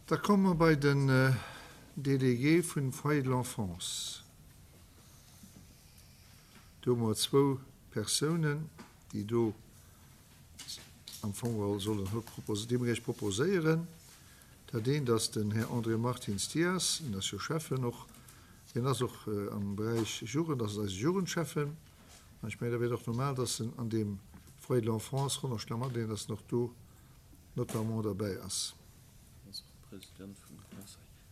Da komme mer bei den Délégué vun Foyer de l'Enfance. Do hu mer zwou Persounen, déi do am Fong geholl sollen haut proposéieren, déi mer Iech proposéieren. Dat eent ass den Här André Martins Dias, en ass jo Schäffen och, hien ass och am Beräich Jugend, ass eise Jugendschäffen. An ech mengen, da wier et och normal, dass en an deem Foyer de l'Enfance Ronneschlamm adeent, dass en och do notamment derbäi ass.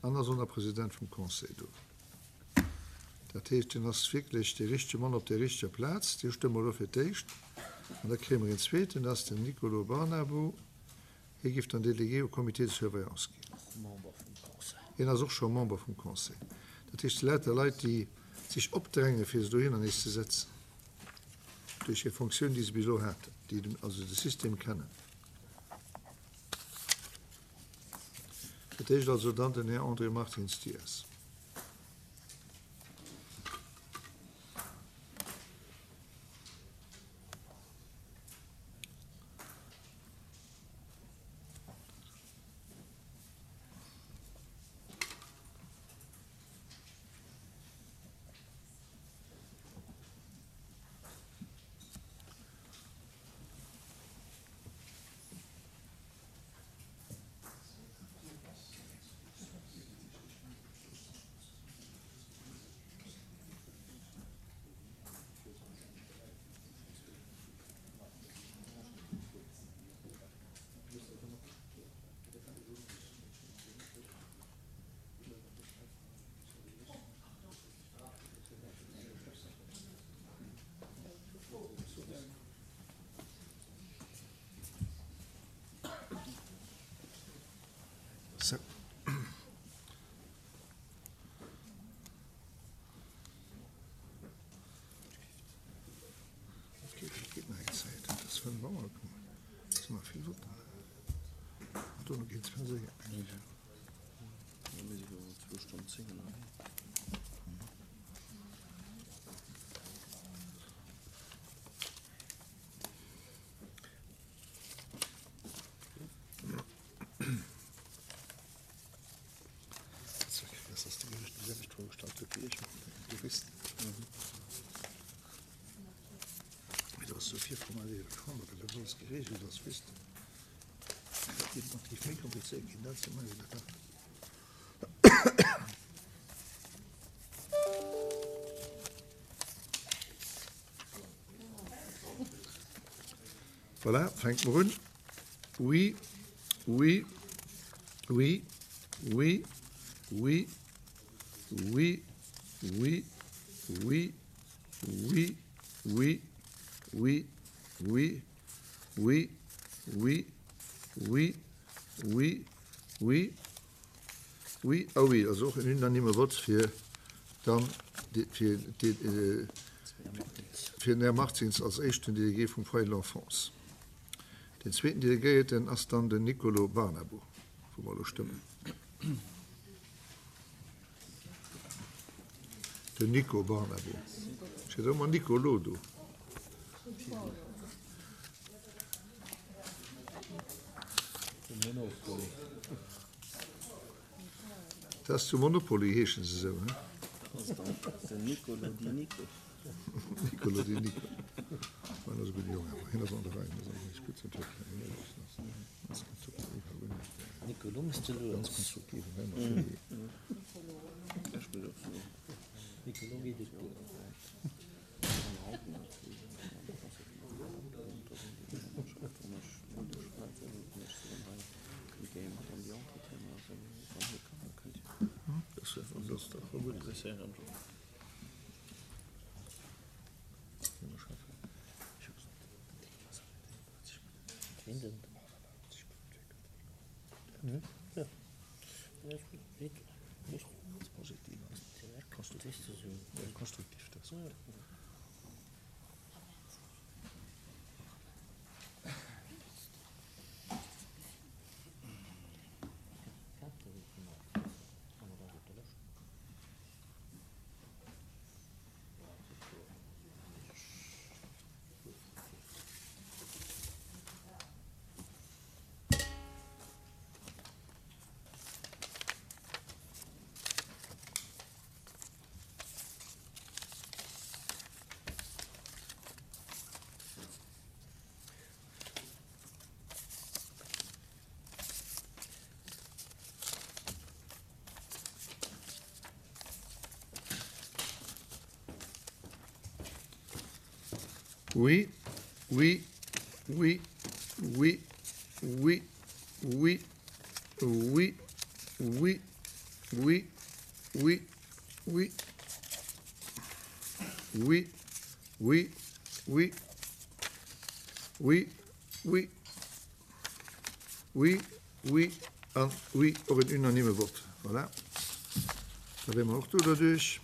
An ass och nach President vum Conseil do. Dat heescht, hien ass wierklech dee richtege Mann op der richteger Plaz. Dee stëmme mer elo fir d'éischt. An da kréie mer een zweeten, dat ass den Nicolo Barnabo. Hie géif dann Délégué au Comité de surveillance ginn. Hien ass och scho Member vum Conseil. Dat heescht, et si lauter Leit, déi sech opdrängen, fir se dohinner nees ze setzen, duerch hir Fonctioun, déi se bis elo haten, déi also de System kennen. Fir d'éischt also dann den Här André Martins Dias. Sou. Dat geet, dat geet nach eng Zäit. Et ass 5 Auer, komm, et sinn nach vill Votten. An dono geet et zwar séier, mengen ech. Mir si jo zwou Stonnen 10 ënnerwee. Voilà, fänke mer un. Oui, oui, oui, oui, oui, oui, oui, oui, oui, oui, oui, oui, oui, oui, oui, oui, oui, oui a oui. Also och en unanime Vote fir dann fir den Här Martins als éischten Délégué vum Foyer de l'Enfance. Deen zweeten Delegéierten ass dann den Nicolo Barnabo, wou mer elo stëmmen. Den Nico Barnabo. Steet ëmmer Nicolo do. Dat ass zu Monopoly heeschen se esou, he? Den Nicolo di Nico. Nicolo di Nico. Hien ass e gudde Jong awer. Hien ass an der Rei. Nicolo muss de lues. Ganz konstruktiv. Nicolo geet et gutt. Oui, oui, oui, oui, oui, oui, oui, oui, oui, oui, oui, oui, oui, oui, oui, oui, oui, oui an oui, och en unanime Vott. Voilà, da wiere mer och do derduerch.